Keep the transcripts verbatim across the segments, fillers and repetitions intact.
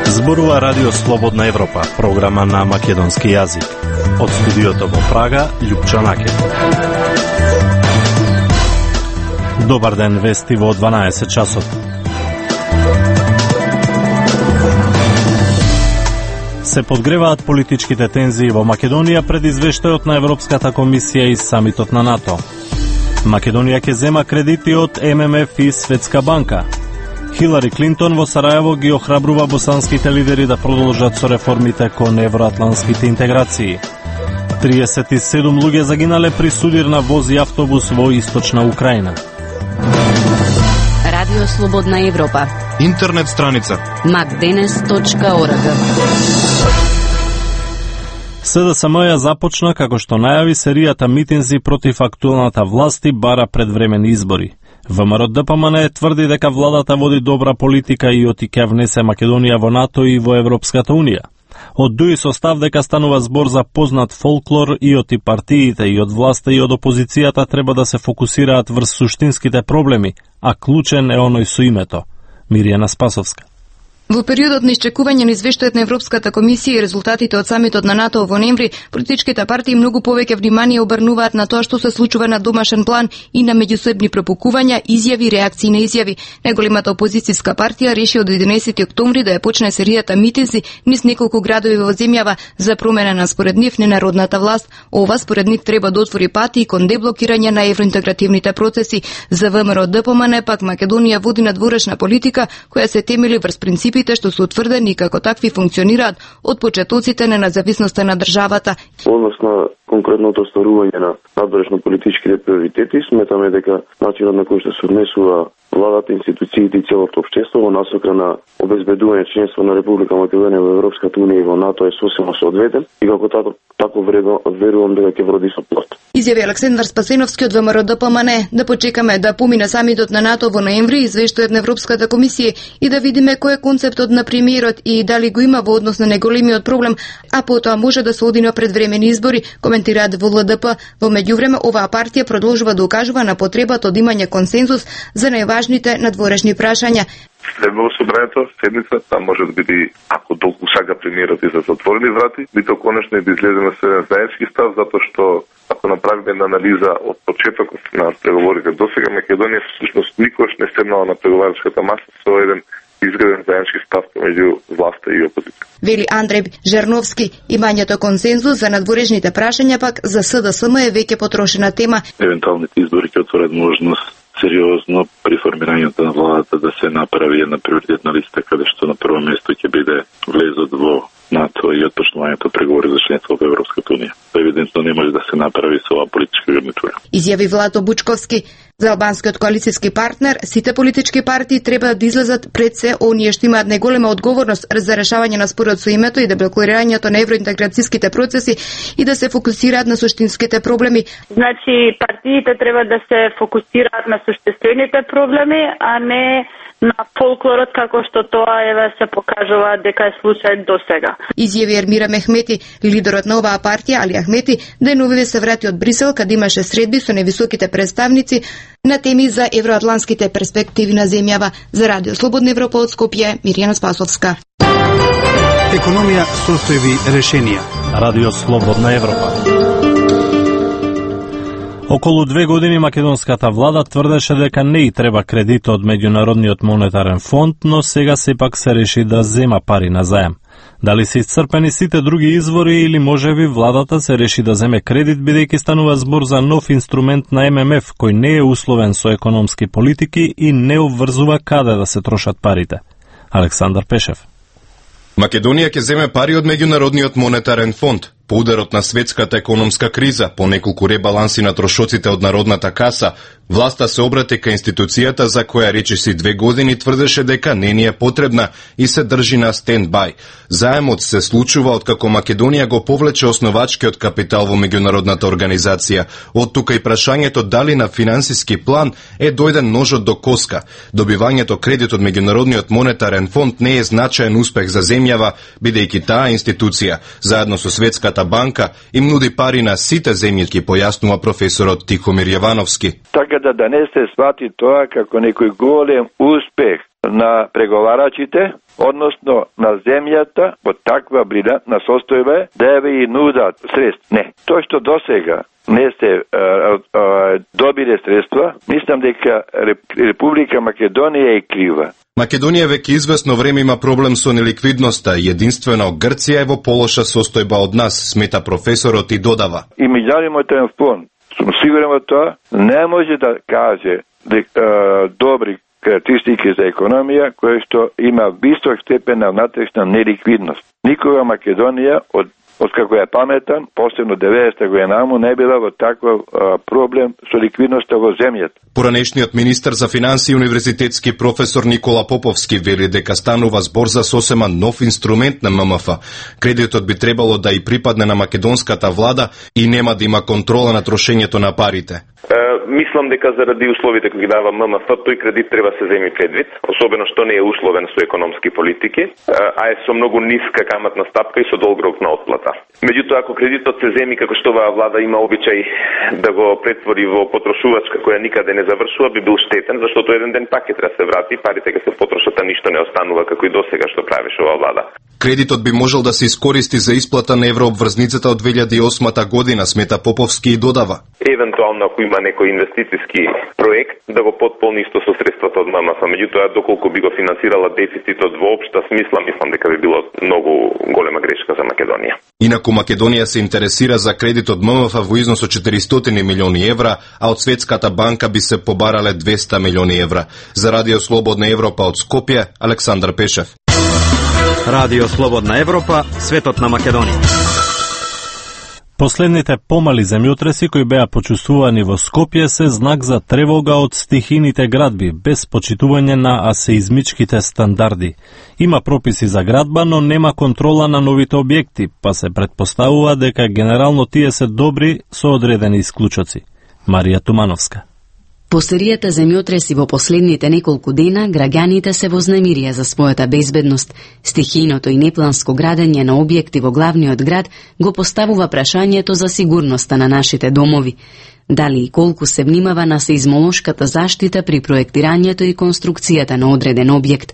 Зборува Радио Слободна Европа, програма на македонски јазик. Од студиото во Прага, Љупчо Накев. Добар ден, вести во дванаесет часот. Се подгреваат политичките тензии во Македонија пред извештајот на Европската комисија и самитот на НАТО. Македонија ќе зема кредити од Ем Ем Еф и Светска банка. Хилари Клинтон во Сараево ги охрабрува босанските лидери да продолжат со реформите кон евроатлантските интеграции. триесет и седум луѓе загинале при судир на воз и автобус во источна Украина. Радио Слободна Европа. Интернет страница макденес точка орг. Се Де Се Ем ја започна, како што најави, серијата митинзи против актуелната власт и бара предвремени избори. Вэ Ем Ер Де Пе Ем Ен тврди дека владата води добра политика и оти ќе внесе Македонија во НАТО и во Европската Унија. Од Дуи со став дека станува збор за познат фолклор и оти партиите и од власта и од опозицијата треба да се фокусираат врз суштинските проблеми, а клучен е оној со името. Миријана Спасовска. Во периодот на исчекување на извештајот на Европската комисија и резултатите од самитот на НАТО во ноември, политичките партии многу повеќе внимание обрнуваат на тоа што се случува на домашен план и на меѓусебни пропукувања, изјави, реакции на изјави. Најголемата опозицијска партија реши од единаесети октомври да ја почне серијата митинзи низ неколку градови во земјава за промена на според нив ненародната власт. Ова според нив треба да отвори пати кон деблокирање на евроинтегративните процеси. За Вэ Ем Ер Де Пе Ем Ен пак Македонија води надворешна политика која се темели врз принципи што се утврдени како такви функционираат од почетоците на независноста на државата. Однос на конкретното остварување на надворешно политичките приоритети, сметаме дека начинот на кој што се однесува владата, институциите и целото општество во насока на обезбедување членство на Република Македонија во Европската Унија и во НАТО е сосема соодветен и како тако, тако верувам дека ќе вроди со плод. Изјави Александар Спасеновски од Вэ Ем Ер Де Пе Ем Ен да почекаме да помине самитот на НАТО во ноември, извештајот на Европската комисија и да видиме кој е концептот на премиерот и дали го има во однос на неголемиот проблем, а потоа може да се оди на предвремени избори, коментираат во Л Д П. Во меѓувреме оваа партија продолжува да укажува на потребата од имање консензус за најважните надворешни прашања. Следва во собранието, седница, там може да биде, ако толку сака премиерот и за затворени врати, би то конечно и да излеземе со еден заеднички став, затоа што ако направиме една анализа од почетокот на преговорите до сега, Македонија всушност никош не седнала на преговарачката маса со еден изграден заеднички став меѓу власта и опозиција. Вели Андреј Жерновски, имањето консензус за надворешните прашања пак за С Д С М е веќе потрошена тема. Евентуалните избори ќе отворат можност сериозно при формирањето на владата да се направи една приоритетна листа каде што на прво место ќе биде влезот во НАТО и отпочнувањето преговори за членство во Европската Унија. Евидентно не може да се направи со оваа политичка гарнитура. Изјави Влато Бучковски. За албанскиот коалицијски партнер, сите политички партии треба да излезат пред се оние што имаат најголема одговорност за решавање на спорот со името и деблокирањето на евроинтеграцијските процеси и да се фокусираат на суштинските проблеми. Значи, партиите треба да се фокусираат на суштинските проблеми, а не на фолклорот како што тоа еве се покажува дека е случај до сега. Изјави Ермира Мехмети, лидерот на оваа партија, Али Ахмети, деновиве се врати од Брисел каде имаше средби со невисоките представници на теми за евроатлантските перспективи на земјава. За Радио Слободна Европа од Скопје, Миријана Спасовска. Економија, состојби, решенија. Радио Слободна Европа. Околу две години македонската влада тврдеше дека не и треба кредит од Меѓународниот монетарен фонд, но сега сепак се реши да зема пари на заем. Дали се исцрпени сите други извори или можеби владата се реши да земе кредит бидејќи станува збор за нов инструмент на Ем Ем Еф кој не е условен со економски политики и не обврзува каде да се трошат парите. Александар Пешев. Македонија ќе земе пари од Меѓународниот монетарен фонд. По ударот на светската економска криза, по неколку ребаланси на трошоците од Народната каса, власта се обрати кај институцијата за која речиси две години тврдеше дека не ни е потребна и се држи на стенд-бај. Заемот се случува откако Македонија го повлече основачкиот капитал во меѓународната организација. Од тука и прашањето дали на финансиски план е дојден ножот до коска. Добивањето кредит од Меѓународниот монетарен фонд не е значаен успех за земјава, бидејќи таа институција, заедно со Светската банка, им нуди пари на сите земји, ки појаснува професорот Тихомир Јовановски. Така изгледа да не се свати тоа како некој голем успех на преговарачите, односно на земјата, во таква брилјантна состојба да ја и нудат средства. Не, тоа што досега не се а, а, добиле средства, мислам дека Република Македонија е крива. Македонија веќе известно време има проблем со неликвидноста и единствено Грција е во полоша состојба од нас, смета професорот и додава. И меѓународен фонд, сум сигурен во тоа, не може да каже дека добри карактеристики за економија која што има висок степен на внатрешна неликвидност. Никога Македонија од Откако ја паметам, посебно деветдесета година, не била во таков а, проблем со ликвидноста во земјата. Поранешниот министер за финансии и универзитетски професор Никола Поповски вели дека станува збор за сосема нов инструмент на ММФ. Кредитот би требало да и припадне на македонската влада и нема да има контрола на трошењето на парите. Е, мислам дека заради условите кои ги дава ММФ, тој кредит треба се земи предвид, особено што не е условен со економски политики, а е со многу ниска каматна стапка и со долг рок на отплата. Меѓутоа, ако кредитот се земи како што оваа влада има обичај да го претвори во потрошувачка која никаде не завршува, би бил штетен, заштото еден ден пак ќе треба се врати, парите ќе се потрошат, а ништо не останува како и досега што правеше оваа влада. Кредитот би можел да се искористи за исплата на еврообврзницата од две илјади и осма година, смета Поповски и додава. Евентуално ако има некој инвестициски проект, да го потполни исто со средствата од ММФ. Меѓутоа, доколку би го финансирала дефицитот во општа смисла, мислам дека би било многу голема грешка за Македонија. Инаку Македонија се интересира за кредит од ММФ во износ од четиристотини милиони евра, а од Светската банка би се побарале двесте милиони евра. За Радио Слободна Европа од Скопје, Александар Пешев. Радио Слободна Европа, светот на Македонија. Последните помали земјотреси кои беа почувствувани во Скопје се знак за тревога од стихините градби, без почитување на асеизмичките стандарди. Има прописи за градба, но нема контрола на новите објекти, па се претпоставува дека генерално тие се добри со одредени исклучоци. Марија Тумановска. По серијата земјотреси во последните неколку дена, граѓаните се вознемирија за својата безбедност. Стихијното и непланско градење на објекти во главниот град го поставува прашањето за сигурноста на нашите домови. Дали и колку се внимава на сеизмолошката заштита при проектирањето и конструкцијата на одреден објект.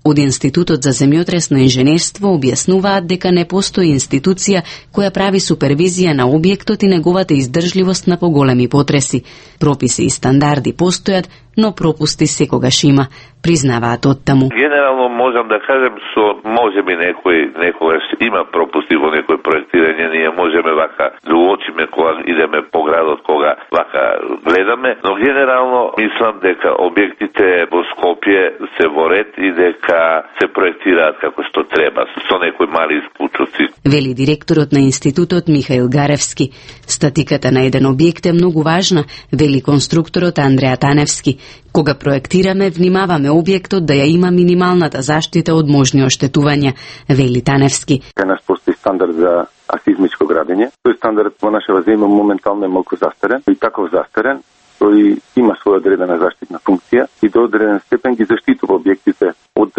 Од Институтот за земјотресно инженерство објаснуваат дека не постои институција која прави супервизија на објектот и неговата издржливост на поголеми потреси. Прописи и стандарди постојат, но пропусти секогаш има, признаваат оттаму. Генерално можам да кажем со можеби некој некогаш има пропусти во некој проектирање, ние можеме вака да уочиме кога идеме по градот, кога вака гледаме, но генерално мислам дека објектите во Скопје се во ред и дека се проектираат како што треба, со некои мали исклучоци. Вели директорот на институтот Михаил Гаревски. Статиката на еден објект е многу важна, вели конструкторот Андреа Таневски. Кога проектираме, внимаваме објектот да ја има минималната заштита од можни оштетувања, вели Таневски. Кај нас постои стандард за асизмичко градење. Тој стандард во нашава земја моментално е малку застарен и таков застарен, тој има своја одредена заштитна функција и до одреден степен ги заштитува објектите од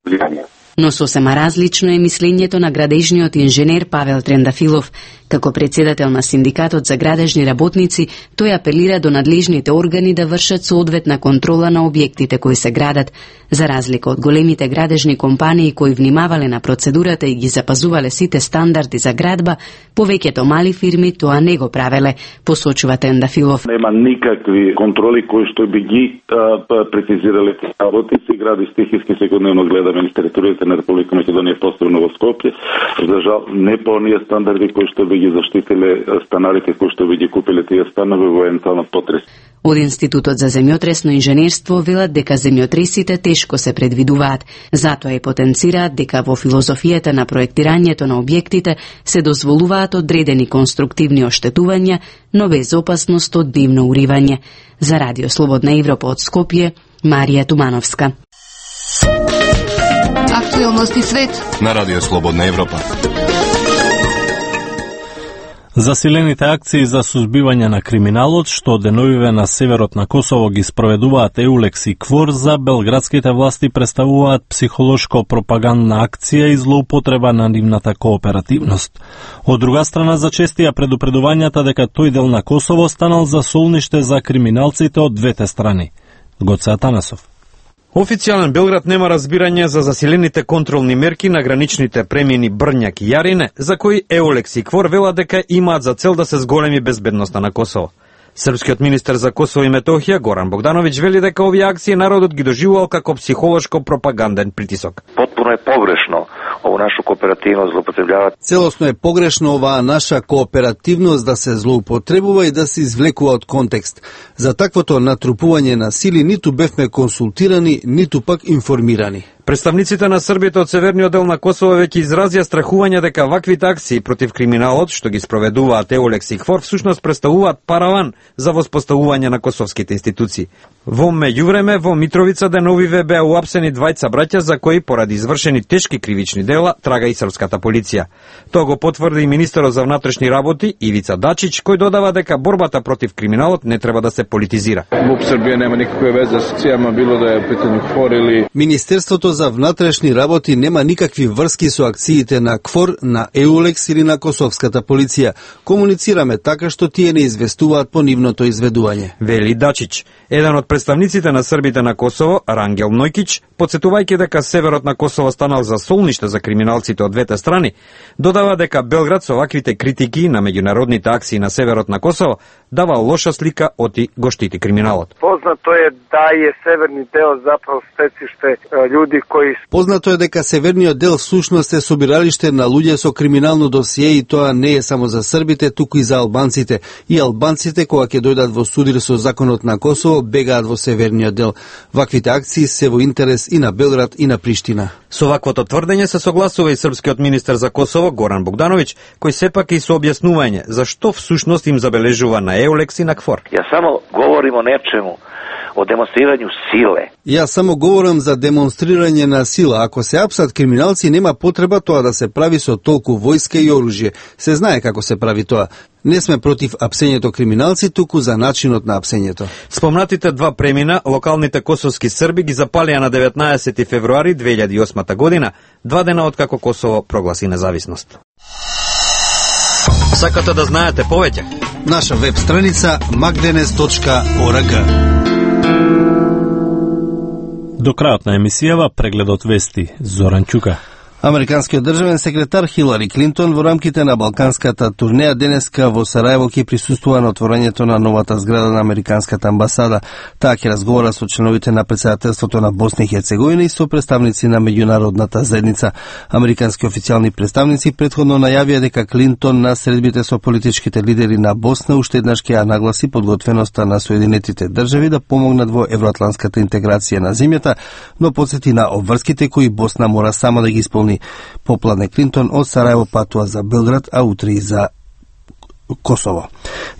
влијание. Но сосема различно е мислењето на градежниот инженер Павел Трендафилов. Како председател на Синдикатот за градежни работници, тој апелира до надлежните органи да вршат соодветна контрола на објектите кои се градат. За разлика од големите градежни компании кои внимавале на процедурата и ги запазувале сите стандарди за градба, повеќето мали фирми тоа не го правеле, посочува Трендафилов. Нема никакви контроли кои што би ги а, прецизирале работници, гради стихиски секојдневно гледаме на територијата на Република Македонија, посебно во Скопје. За жал, не по оние стандарди кои што би ги заштитиле станарите кои што би ги купиле тие станови во евентуална потрес. Од Институтот за земјотресно инженерство велат дека земјотресите тешко се предвидуваат. Затоа и потенцираат дека во филозофијата на проектирањето на објектите се дозволуваат одредени конструктивни оштетувања, но без опасност од дивно уривање. За Радио Слободна Европа од Скопје, Марија Тумановска. Актуелности свет на Радио Слободна Европа. Засилените акции за сузбивање на криминалот, што деновиве на северот на Косово ги спроведуваат Еулекс и КФОР, за белградските власти представуваат психолошко-пропагандна акција и злоупотреба на нивната кооперативност. Од друга страна, зачестија предупредувањата дека тој дел на Косово станал за солниште за криминалците од двете страни. Гоце Атанасов. Официјален Белград нема разбирање за засилените контролни мерки на граничните премини Брњак и Јарине, за кои Еулекс и КФОР велат дека имаат за цел да се зголеми безбедноста на Косово. Српскиот министер за Косово и Метохија Горан Богдановиќ вели дека овие акции народот ги доживувал како психолошко-пропаганден притисок. Потпуно е погрешно ово нашу кооперативност злоупотребljavат. Целосно е погрешно оваа наша кооперативност да се злоупотребува и да се извлекува од контекст. За таквото натрупување на сили ниту бевме консултирани, ниту пак информирани. Представниците на Србите од северниот дел на Косово веќе изразија страхување дека ваквите акции против криминалот, што ги спроведуваат Еулекс и КФОР, всушност представуваат параван за воспоставување на косовските институции. Во меѓувреме, во Митровица деновиве беа уапсени двајца браќа за кои поради извршени тешки кривични дела трага и српската полиција. Тоа го потврди и министерот за внатрешни работи Ивица Дачич, кој додава дека борбата против криминалот не треба да се политизира. МУП Србија нема никаква веза со акцијама, било да е питање КФОР или Министерството за внатрешни работи нема никакви врски со акциите на КФОР, на Еулекс или на косовската полиција. Комуницираме така што тие не известуваат по нивното изведување. Вели Дачич. Еден од представниците на србите на Косово, Рангел Нојкич, подсетувајќи дека северот на Косово станал за солниште за криминалците од двете страни, додава дека Белград со ваквите критики на меѓународните акции на северот на Косово дава лоша слика оти го штити криминалот. Познато е да е северни дел заправо стециште луѓе кои Познато е дека северниот дел всушност е собиралиште на луѓе со криминално досие и тоа не е само за србите, туку и за албанците. И албанците кога ќе дојдат во судир со законот на Косово бегаат во северниот дел. Ваквите акции се во интерес и на Белград и на Приштина. Со ваквото тврдење се согласува и српскиот министер за Косово Горан Богдановиќ, кој сепак и со објаснување зашто всушност им забележува на Еулекс и на КФОР. Ја само говорим о нечему, о демонстрирању силе. Јас само говорам за демонстрирање на сила. Ако се апсат криминалци, нема потреба тоа да се прави со толку војска и оружје. Се знае како се прави тоа. Не сме против апсењето криминалци, туку за начинот на апсењето. Спомнатите два премина, локалните косовски срби ги запалија на деветнаесети февруари две илјади и осма година, два дена откако Косово прогласи независност. Сакате да знаете повеќе? Наша веб страница magdenes точка org. До крајот на емисијава прегледот вести Зоран Ќука. Американскиот државен секретар Хилари Клинтон во рамките на балканската турнеја денеска во Сараево ќе присуствува на отворањето на новата зграда на американската амбасада. Таа ќе разговара со членовите на претседателството на Босна и Херцеговина и со представници на меѓународната заедница. Американски официјални представници претходно најавија дека Клинтон на средбите со политичките лидери на Босна уште еднаш ќе ја нагласи подготвеноста на Соединетите држави да помогнат во евроатланската интеграција на земјата, но потсети на обврските кои Босна мора сама да ги исполни. Попладне Клинтон од Сараево патува за Белград, а утре и за Косово.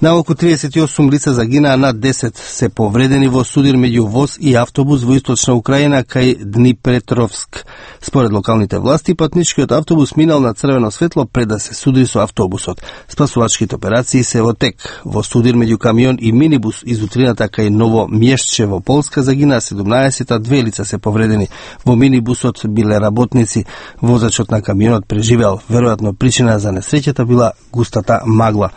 Наоколу триесет и осум лица загинаа, над десет се повредени во судир меѓу воз и автобус во источна Украина кај Днипретровск. Според локалните власти, патничкиот автобус минал на црвено светло пред да се судри со автобусот. Спасувачките операции се во тек. Во судир меѓу камион и минибус из утрината кај Ново Мјешче во Полска загинаа седумнаесет, а две лица се повредени. Во минибусот биле работници. Возачот на камионот преживеал. Веројатно причина за несреќата била густата магла.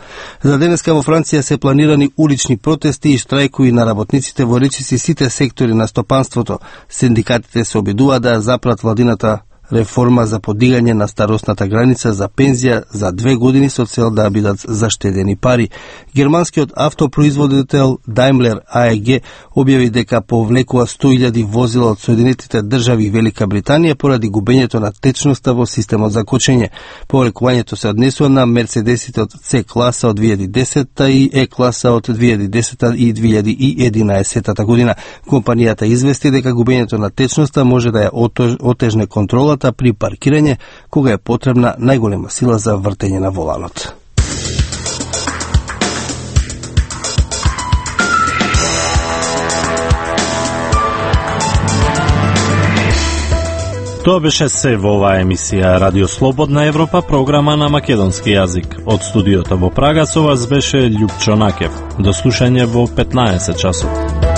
За денеска во Франција се планирани улични протести и штрајкови на работниците во речиси сите сектори на стопанството. Синдикатите се обидуваат да запрат владината реформа за подигање на старосната граница за пензија за две години со цел да бидат заштедени пари. Германскиот автопроизводител Daimler А Е Г објави дека повлекува сто илјади возила од Соединетите држави и Велика Британија поради губењето на течноста во системот за кочење. Повлекувањето се однесува на Мерцедесите од С класа од две илјади и десета и Е класа од две илјади и десета и две илјади и единаесета година. Компанијата извести дека губењето на течноста може да ја отежне контролата при паркирање кога е потребна најголема сила за вртење на воланот. Тоа беше се во оваа емисија Радио Слободна Европа, програма на македонски јазик. Од студиото во Прага со вас беше Љупчо Накев. До слушање во петнаесет часот.